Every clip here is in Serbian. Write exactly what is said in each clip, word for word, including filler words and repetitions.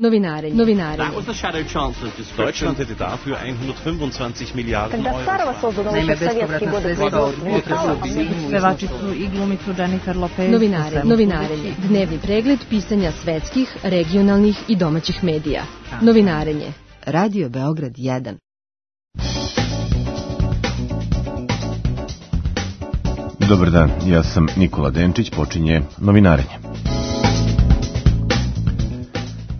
Novinarenje. Novinarenje. Deutschland hätte dafür hundertfünfundzwanzig Milliarden Euro. Naime, bespovratna sredstva upotrebili pevačicu i glumicu Jennifer Lopez. Novinarenje. Novinarenje. Dnevni pregled pisanja svetskih, regionalnih i domaćih medija. Novinarenje. Radio Beograd jedan. Dobar dan, ja sam Nikola Denčić, počinje Novinarenje.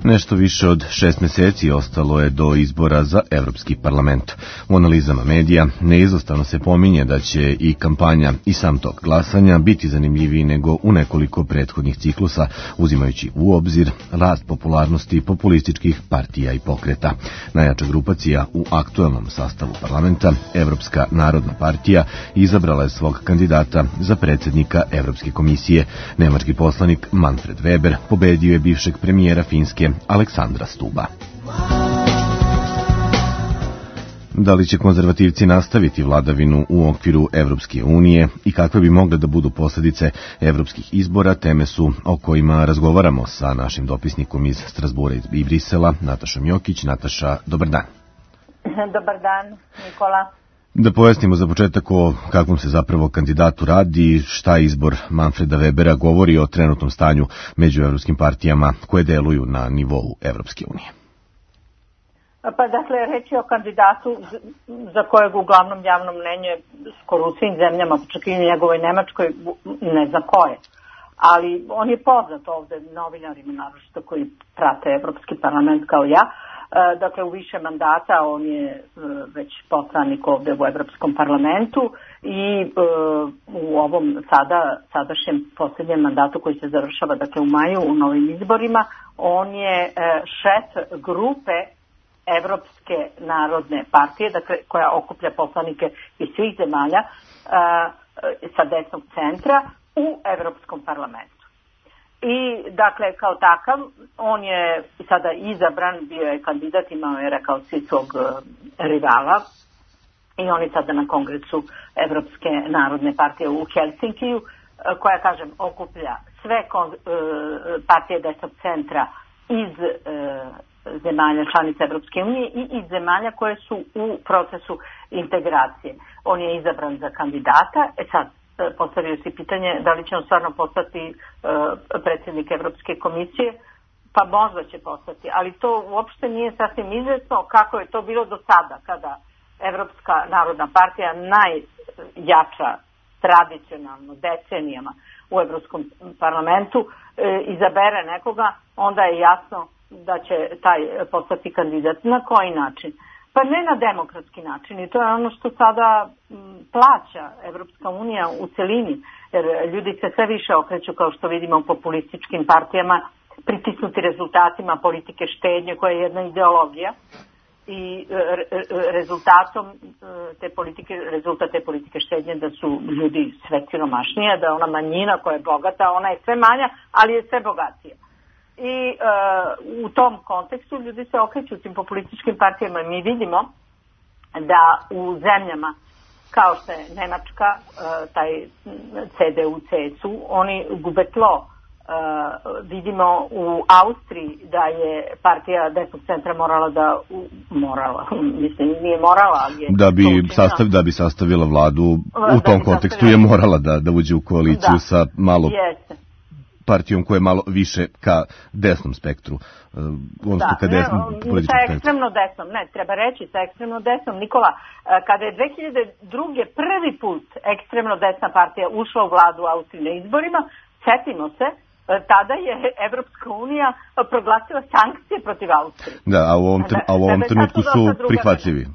Nešto više od šest meseci ostalo je do izbora za Evropski parlament. U analizama medija neizostavno se pominje da će i kampanja i sam tok glasanja biti zanimljiviji nego u nekoliko prethodnih ciklusa, uzimajući u obzir rast popularnosti populističkih partija i pokreta. Najjača grupacija u aktuelnom sastavu parlamenta, Evropska narodna partija, izabrala je svog kandidata za predsjednika Evropske komisije. Nemački poslanik Manfred Weber pobedio je bivšeg premijera Finske Aleksandra Stuba. Da li će konzervativci nastaviti vladavinu u okviru Evropske unije i kakve bi mogle da budu posljedice evropskih izbora, teme su o kojima razgovaramo sa našim dopisnikom iz Strasbura i Brisela, Natašom Jokić. Nataša, dobar dan. Dobar dan, Nikola. Da pojasnimo za početak o kakvom se zapravo kandidatu radi, šta izbor Manfreda Webera govori o trenutnom stanju među evropskim partijama koje deluju na nivou Evropske unije. Pa dakle, reći o kandidatu za kojeg uglavnom javno mnenje skoro u svim zemljama, čak i u njegovoj Nemačkoj, ne zna ko je. Ali on je poznat ovde novinarima, naročito koji prate Evropski parlament kao ja. Dakle, u više mandata on je već poslanik ovde u Evropskom parlamentu i u ovom sada, sadašnjem posljednjem mandatu koji se završava, dakle u maju, u novim izborima, on je šef grupe Evropske narodne partije, dakle koja okuplja poslanike iz svih zemalja sa desnog centra u Evropskom parlamentu. I, dakle, kao takav, on je sada izabran, bio je kandidat, imao je, rekao si, svog rivala i on je sada na kongresu Evropske narodne partije u Helsinkiju, koja, kažem, okuplja sve partije desnog centra iz zemalja članica Evropske unije i iz zemalja koje su u procesu integracije. On je izabran za kandidata, e sad, postavio si pitanje da li će on stvarno postati uh, predsjednik Evropske komisije, pa možda će postati, ali to uopšte nije sasvim izvesno kako je to bilo do sada, kada Evropska narodna partija, najjača tradicionalno decenijama u Evropskom parlamentu, uh, izabere nekoga, onda je jasno da će taj postati kandidat. Na koji način? Pa ne na demokratski način i to je ono što sada plaća Evropska unija u celini, jer ljudi se sve više okreću, kao što vidimo, u populističkim partijama, pritisnuti rezultatima politike štednje koja je jedna ideologija i rezultatom te politike, rezultat te politike štednje da su ljudi sve siromašnije, da ona manjina koja je bogata, ona je sve manja, ali je sve bogatija. I uh, u tom kontekstu ljudi se okreću tim populističkim partijama i mi vidimo da u zemljama kao što je Nemačka, uh, taj C D U C S U, oni gube tlo. Uh, vidimo u Austriji da je partija desnog centra morala da u, morala, mislim nije morala, ali je da bi, sastav, da bi sastavila vladu u tom kontekstu je morala da, da uđe u koaliciju da. sa malo Jeste. partijom koja je malo više ka desnom spektru. Da, ka desnom, ne, sa ekstremno desnom, ne, treba reći sa ekstremno desnom. Nikola, kada je dve hiljade druge. prvi put ekstremno desna partija ušla u vladu Austrije na izborima, setimo se, tada je Evropska unija proglasila sankcije protiv Austrije. Da, a u ovom, a u ovom trenutku su prihvatljivi.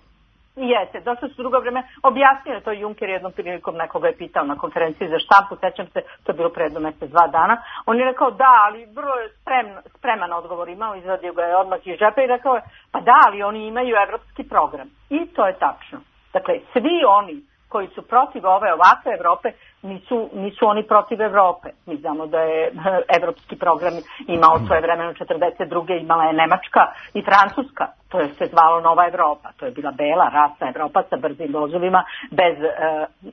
Jeste, došlo su drugo vreme, objasnio je to Juncker jednom prilikom, nekoga je pitao na konferenciji za štampu, sećam se, to je bilo pre jedno mjesec, dva dana, on je rekao da, ali vrlo je sprem, spreman odgovor imao, izvadio ga je odmah iz džepa i rekao je, pa da, ali oni imaju evropski program. I to je tačno. Dakle, svi oni koji su protiv ove ovakve Evrope, nisu, nisu oni protiv Evrope. Mi znamo da je evropski program imao svoje vremeno četrdeset druge. imala je Nemačka i Francuska. To je se zvalo Nova Evropa. To je bila bela, rasna Evropa sa brzim vozovima, bez e,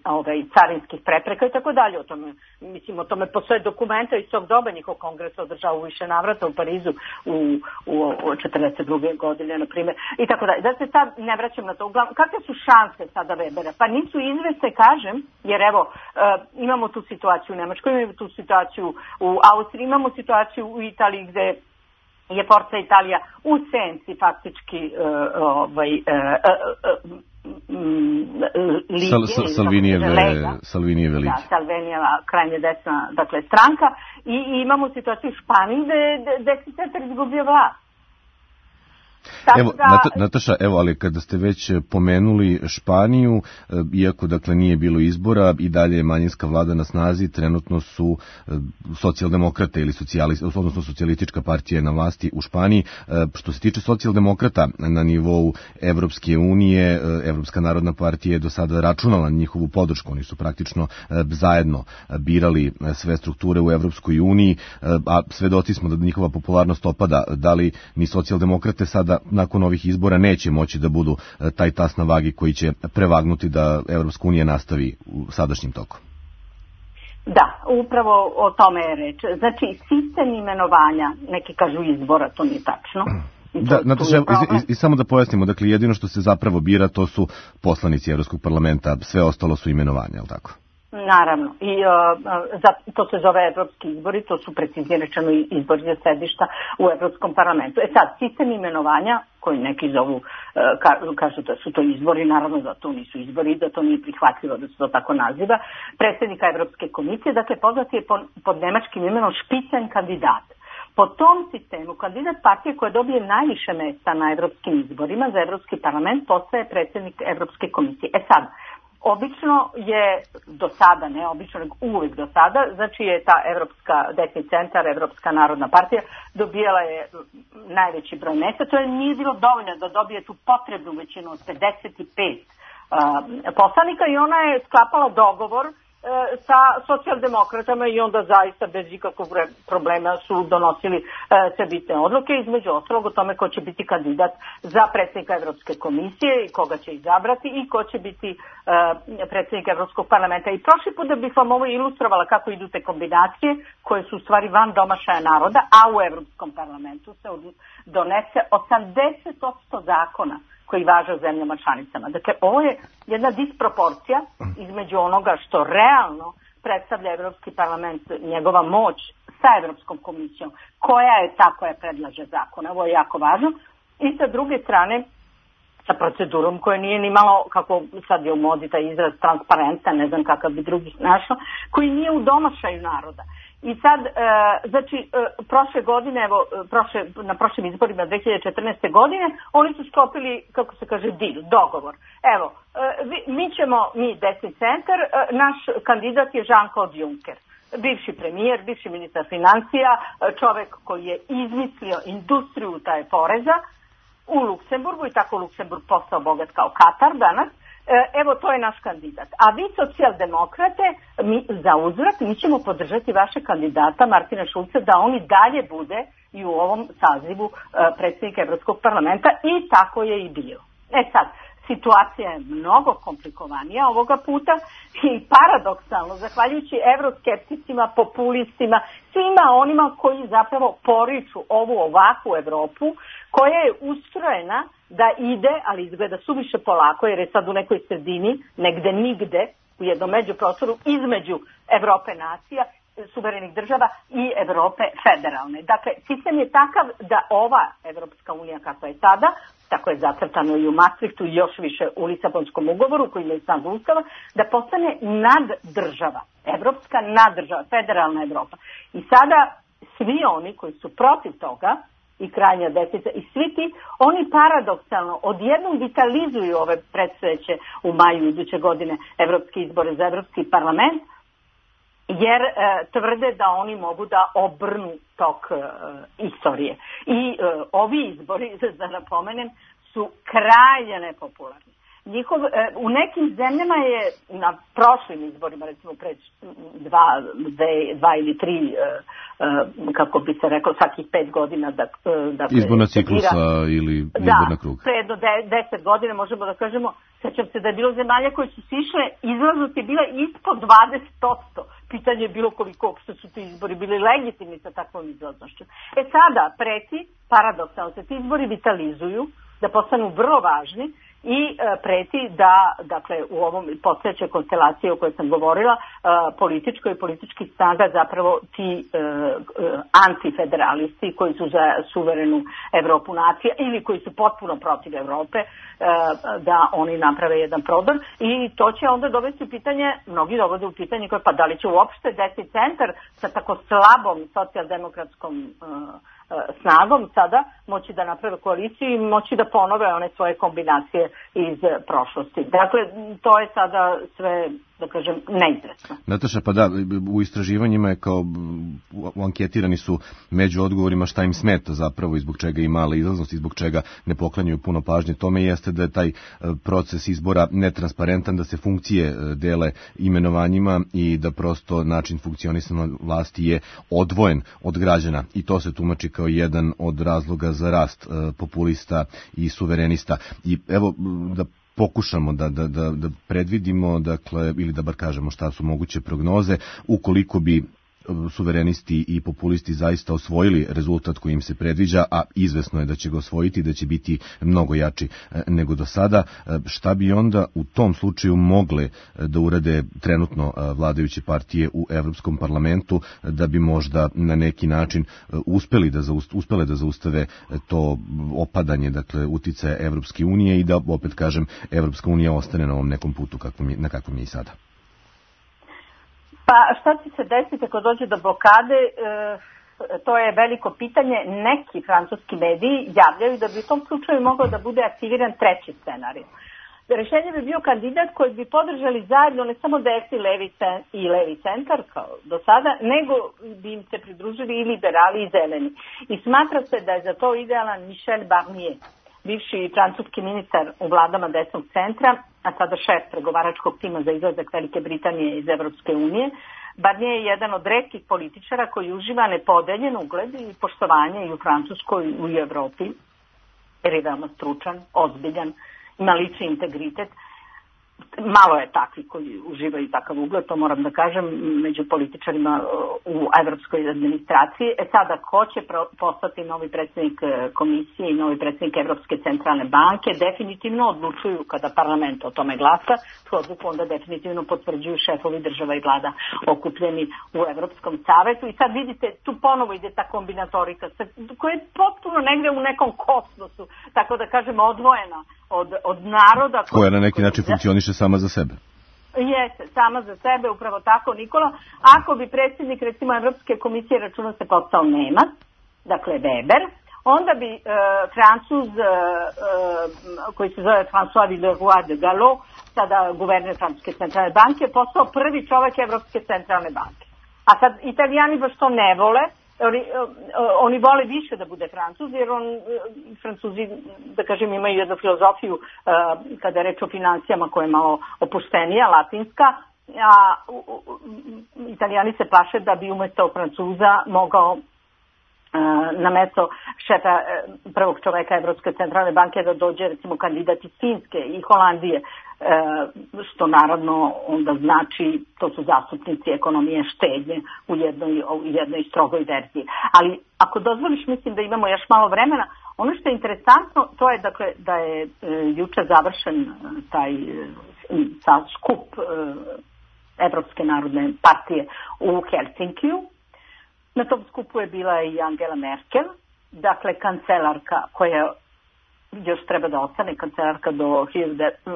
ovaj, carinskih prepreka i tako dalje. O tome, mislim, o tome postoje dokumenta iz tog doba. Njihov kongres održao u više navrata u Parizu u, u četrdeset druge godine, na primjer, i tako dalje. Da se sad ne vraćam na to. Uglavnom, kakve su šanse sada Webera? Pa nisu izvesne, kažem, jer evo, imamo tu situaciju u Nemačkoj, imamo tu situaciju u Austriji, imamo situaciju u Italiji gde je Forza Italija u senci faktički ovaj, Salvinijeve lige. Da, Salvinijeva krajnje desna, dakle, stranka. I, i imamo situaciju u Španiji gde desni centar izgubio vlast. Evo, Nataša, evo, ali kada ste već pomenuli Španiju, iako dakle nije bilo izbora i dalje je manjinska vlada na snazi, trenutno su socijaldemokrate ili socijalisti, odnosno socijalistička partija na vlasti u Španiji. Što se tiče socijaldemokrata na nivou Evropske unije, Evropska narodna partija je do sada računala njihovu podršku, oni su praktično zajedno birali sve strukture u Evropskoj uniji, a svedoci smo da njihova popularnost opada. Da li ni socijaldemokrate sada nakon ovih izbora neće moći da budu taj tas na vagi koji će prevagnuti da Evropska unija nastavi u sadašnjim tokom? Da, upravo o tome je reč. Znači, sistem imenovanja, neki kažu izbora, to nije tačno. Da, Nataša, i, i samo da pojasnimo, dakle, jedino što se zapravo bira, to su poslanici Evropskog parlamenta, sve ostalo su imenovanja, je li tako? Naravno, i uh, za, to se zove evropski izbori, to su preciznije rečeno izbori za sedišta u Evropskom parlamentu. E sad, sistem imenovanja, koji neki zovu, uh, ka, kažu da su to izbori, naravno da to nisu izbori, da to nije prihvatljivo da se to tako naziva, predsjednika Evropske komisije, dakle poznat je pod, pod nemačkim imenom špicen kandidat. Po tom sistemu, kandidat partije koja dobije najviše mesta na evropskim izborima za Evropski parlament postaje predsjednik Evropske komisije. E sad, obično je do sada, ne obično, nego uvijek do sada, znači je ta Evropska desni centar, Evropska narodna partija, dobijala je najveći broj mesta. To je nije bilo dovoljno da dobije tu potrebnu većinu od pedeset pet uh, poslanika i ona je sklapala dogovor sa socijaldemokratama i onda zaista bez ikakvog problema su donosili sve bitne odluke, između ostalog o tome ko će biti kandidat za predsjednika Evropske komisije i koga će izabrati i ko će biti predsjednik Evropskog parlamenta. I prošli put da bih vam ovo ilustrovala kako idu te kombinacije koje su u stvari van domašaja naroda, a u Evropskom parlamentu se donese osamdeset posto zakona koji važe u zemljama članicama. Dakle, ovo je jedna disproporcija između onoga što realno predstavlja Evropski parlament, njegova moć sa Evropskom komisijom, koja je ta koja predlaže zakone. Ovo je jako važno. I sa druge strane, sa procedurom koja nije ni malo, kako sad je u modi taj izraz, transparentna, ne znam kakav bi drugi našao, koji nije u domašaju naroda. I sad, e, znači, e, prošle godine, evo, prošle, na prošlim izborima dve hiljade četrnaeste. godine, oni su sklopili, kako se kaže, deal, dogovor. Evo, e, vi, mi ćemo, mi desni centar, e, naš kandidat je Jean-Claude Juncker, bivši premijer, bivši ministar financija, čovjek koji je izmislio industriju taj poreza u Luksemburgu i tako Luksemburg postao bogat kao Katar danas. Evo, to je naš kandidat. A vi, socijaldemokrate, mi, za uzvrat, mi ćemo podržati vaše kandidata Martina Šulca da on i dalje bude i u ovom sazivu predsjednika Evropskog parlamenta i tako je i bio. E sad, situacija je mnogo komplikovanija ovoga puta i paradoksalno, zahvaljujući evroskepticima, populistima, svima onima koji zapravo poriču ovu ovakvu Evropu, koja je ustrojena da ide, ali izgleda suviše polako, jer je sad u nekoj sredini, negde nigde, u jednom međuprostoru između Evrope nacija, suverenih država i Evrope federalne. Dakle, sistem je takav da ova Evropska unija kakva je sada, tako je zacrtano i u Maastrichtu i još više u Lisabonskom ugovoru koji ima i snagu Ustava, da postane naddržava, evropska naddržava, federalna Evropa. I sada svi oni koji su protiv toga, i krajnja desnica i svi ti, oni paradoksalno odjednom vitalizuju ove predstojeće u maju iduće godine evropske izbore za Evropski parlament, jer e, tvrde da oni mogu da obrnu tok e, istorije. I e, ovi izbori, da napomenem, su krajnje nepopularni. njihov, u nekim zemljama je na prošlim izborima, recimo pre dva, dve, dva ili tri, kako bi se reklo, svakih pet godina da, da izborna ciklusa ili izborna kruga. Da, pre jedno de, deset godina možemo da kažemo, sećam se da je bilo zemalja koje su sišle, izlaznost je bila ispod dvadeset posto. Pitanje je bilo koliko uopšte su ti izbori bili legitimni sa takvom izlaznošću. E sada preti, paradoksalno se ti izbori vitalizuju, da postanu vrlo važni i e, preti da, dakle, u ovom postojećoj konstelaciji o kojoj sam govorila, e, političko i politički snaga zapravo ti e, e, antifederalisti koji su za suverenu Evropu nacija ili koji su potpuno protiv Evrope, e, da oni naprave jedan prodor i to će onda dovesti u pitanje, mnogi dovode u pitanje koje pa da li će uopšte desni centar sa tako slabom socijaldemokratskom e, snagom sada moći da naprave koaliciju i moći da ponove one svoje kombinacije iz prošlosti. Dakle, to je sada sve, da kažem, neizvesno. Nataša, pa da, u istraživanjima je kao, u anketirani su među odgovorima šta im smeta zapravo i zbog čega ima mala izlaznost i zbog čega ne poklanjaju puno pažnje tome jeste da je taj proces izbora netransparentan, da se funkcije dele imenovanjima i da prosto način funkcionisanja vlasti je odvojen od građana i to se tumači kao jedan od razloga za rast populista i suverenista. I evo da pokušamo da, da, da, da predvidimo, dakle, ili da bar kažemo šta su moguće prognoze, ukoliko bi suverenisti i populisti zaista osvojili rezultat koji im se predviđa, a izvesno je da će ga osvojiti, da će biti mnogo jači nego do sada. Šta bi onda u tom slučaju mogle da urade trenutno vladajuće partije u Evropskom parlamentu da bi možda na neki način uspeli da zaustave, uspele da zaustave to opadanje, dakle, uticaja Evropske unije i da, opet kažem, Evropska unija ostane na ovom nekom putu kakvom je, na kakvom je i sada? Pa šta će se desiti ako dođe do blokade, e, to je veliko pitanje. Neki francuski mediji javljaju da bi u tom slučaju mogao da bude aktiviran treći scenarij. Rešenje bi bio kandidat koji bi podržali zajedno ne samo desni levi i levi centar kao do sada, nego bi im se pridružili i liberali i zeleni. I smatra se da je za to idealan Michel Barnier, bivši francuski ministar u vladama desnog centra, a sada šef pregovaračkog tima za izlazak Velike Britanije iz Evropske unije. Barnier je jedan od retkih političara koji uživa nepodeljen ugled i poštovanje i u Francuskoj i u Evropi, jer je veoma stručan, ozbiljan, ima lični integritet. Malo je takvi koji uživaju takav ugled, to moram da kažem, među političarima u evropskoj administraciji. E sada, ko će postati novi predsjednik komisije i novi predsjednik Evropske centralne banke, definitivno odlučuju kada parlament o tome glasa, tu odluku onda definitivno potvrđuju šefovi država i vlada okupljeni u Evropskom savetu. I sad vidite, tu ponovo ide ta kombinatorika koja je potpuno negde u nekom kosmosu, tako da kažem, odvojena od, od naroda. Koja na neki način funkcioniše sama za sebe. Jeste, sama za sebe, upravo tako, Nikola. Ako bi predsjednik, recimo, Evropske komisije računa se postao Nemac, dakle Weber, onda bi e, Francuz, e, koji se zove François Villeroy de Gallo, sada guverner Francuske centralne banke, postao prvi čovjek Evropske centralne banke. A sad Italijani baš to ne vole, Oni, oni vole više da bude Francuz, jer on, Francuzi, da kažem, imaju jednu filozofiju uh, kada je reč o financijama koja je malo opuštenija, latinska, a u, u, Italijani se plaše da bi umjesto Francuza mogao uh, na mesto šefa uh, prvog čoveka Evropske centralne banke da dođe, recimo, kandidat iz Finske i Holandije, što naravno onda znači, to su zastupnici ekonomije štednje u jednoj, u jednoj strogoj verziji. Ali ako dozvoliš, mislim da imamo još malo vremena. Ono što je interesantno, to je, dakle, da je e, juče završen taj ta skup e, Evropske narodne partije u Helsinkiju. Na tom skupu je bila i Angela Merkel, dakle kancelarka koja još treba da ostane kancelarka do,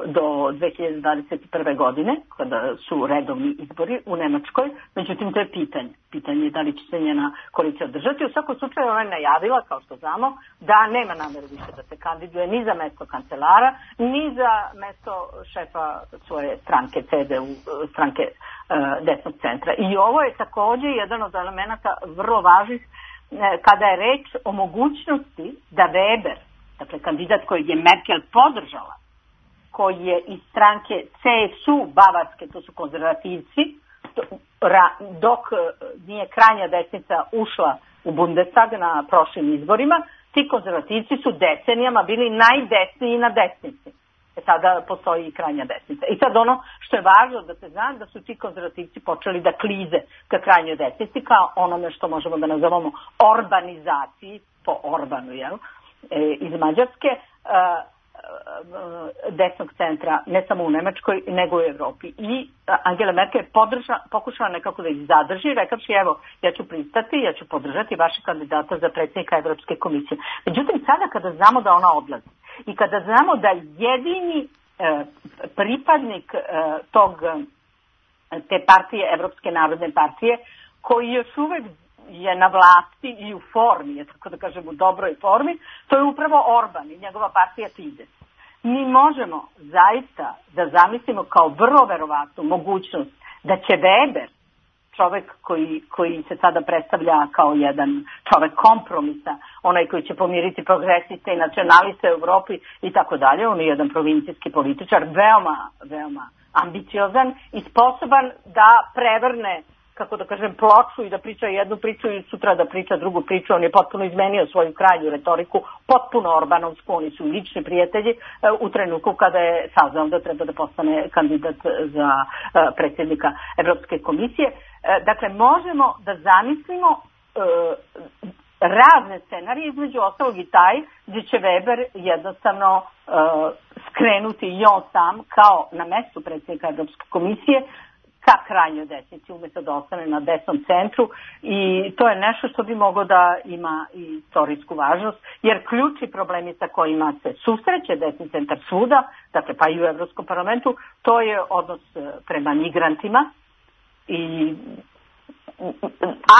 do dve hiljade dvadeset prve. godine, kada su redovni izbori u Nemačkoj. Međutim, to je pitanje. Pitanje je da li će se njena koalicija održati. U svakom slučaju ona je najavila, kao što znamo, da nema nameru više da se kandiduje ni za mesto kancelara, ni za mesto šefa svoje stranke, C D U, stranke uh, desnog centra. I ovo je također jedan od elemenata vrlo važnih uh, kada je reč o mogućnosti da Weber, dakle kandidat kojeg je Merkel podržala, koji je iz stranke C S U Bavarske, to su konzervativci, dok nije krajnja desnica ušla u Bundestag na prošlim izborima, ti konzervativci su decenijama bili najdesniji na desnici. E sada postoji i krajnja desnica. I sad ono što je važno da se zna, da su ti konzervativci počeli da klize ka krajnjoj desnici, kao onome što možemo da nazovemo orbanizaciji, po Orbanu, jel, e, iz Mađarske, e, desnog centra, ne samo u Nemačkoj, nego u Evropi. I Angela Merkel je podrža, pokušala nekako da ih zadrži, rekavši, evo, ja ću pristati, ja ću podržati vaše kandidata za predsjednika Evropske komisije. Međutim, sada kada znamo da ona odlazi i kada znamo da jedini e, pripadnik e, tog, te partije, Evropske narodne partije, koji još uvek je na vlasti i u formi, je tako da kažem u dobroj formi, to je upravo Orban i njegova partija Fidesz. Mi možemo zaista da zamislimo kao vrlo verovatnu mogućnost da će Weber, čovek koji, koji se sada predstavlja kao jedan čovek kompromisa, onaj koji će pomiriti progresiste i nacionaliste u Evropi i tako dalje, on je jedan provincijski političar, veoma, veoma ambiciozan i sposoban da prevrne, kako da kažem, ploču i da priča jednu priču i sutra da priča drugu priču. On je potpuno izmenio svoju krajnju retoriku, potpuno orbanovsku, oni su lični prijatelji u trenutku kada je saznao da treba da postane kandidat za predsjednika Evropske komisije. Dakle, možemo da zamislimo razne scenarije, između ostalog i taj gdje će Weber jednostavno skrenuti i on sam kao na mestu predsjednika Evropske komisije ka krajnjoj desnici, umjesto da ostane na desnom centru, i to je nešto što bi moglo da ima i istorijsku važnost, jer ključni problemi sa kojima se susreće desni centar svuda, dakle pa i u Evropskom parlamentu, to je odnos prema migrantima i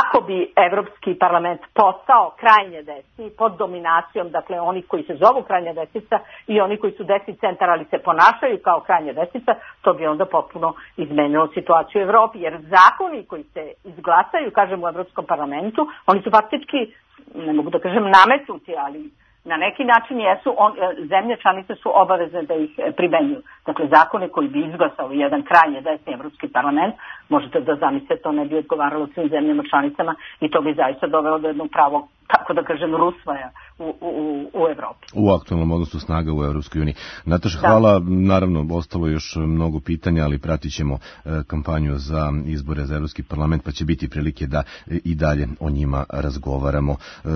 ako bi Evropski parlament postao krajnje desni pod dominacijom, dakle oni koji se zovu krajnja desnica i oni koji su desni centar ali se ponašaju kao krajnja desnica, to bi onda potpuno izmenilo situaciju u Evropi, jer zakoni koji se izglasaju, kažem, u Evropskom parlamentu, oni su faktički, ne mogu da kažem nametnuti, ali na neki način jesu, on, zemlje članice su obavezne da ih primenjuju. Dakle, zakone koji bi izglasao jedan krajnje desni Evropski parlament, možete da zamislite, to ne bi odgovaralo svim zemljama članicama i to bi zaista dovelo do jednog pravog, tako da kažem, rusvaja u, u, u Evropi. U aktualnom odnosu snaga u Evropskoj uniji. Nataša, hvala. Naravno, ostalo je još mnogo pitanja, ali pratit ćemo e, kampanju za izbore za Evropski parlament, pa će biti prilike da e, i dalje o njima razgovaramo. E,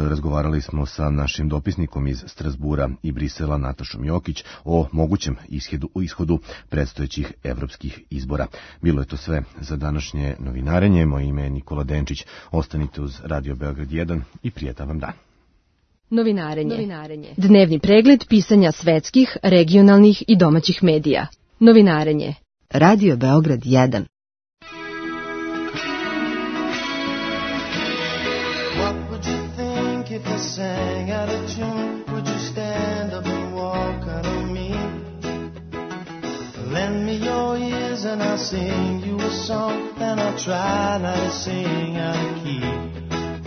razgovarali smo sa našim dopisnikom iz Strasbura i Brisela, Natašom Jokić, o mogućem ishodu, ishodu predstojećih evropskih izbora. Bilo je to sve za današnje novinarenje. Moje ime je Nikola Denčić. Ostanite uz Radio Beograd jedan i prijetan vam dan. Novinarenje. Novinarenje. Dnevni pregled pisanja svetskih, regionalnih i domaćih medija. Novinarenje. Radio Beograd jedan. What would you think if I sang out of tune? Would you stand up and walk out on me? Lend me your ears and I'll sing you a song, and I'll try not to sing out of key.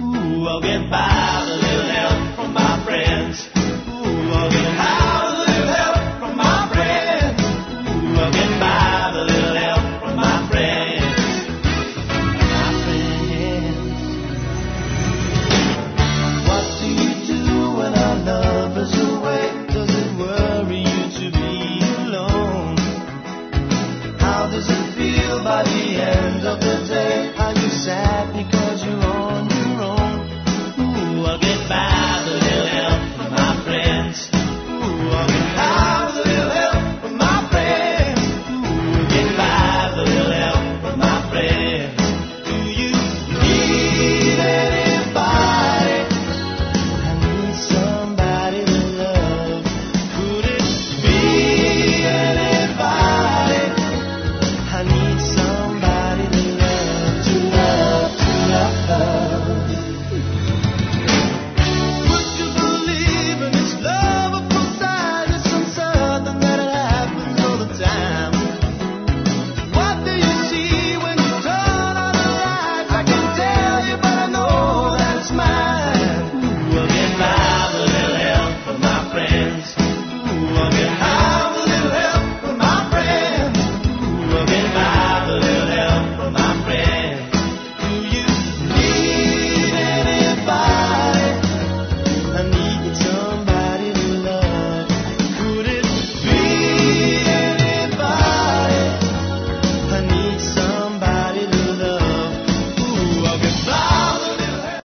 Ooh, I'll get by with a little help from my friend.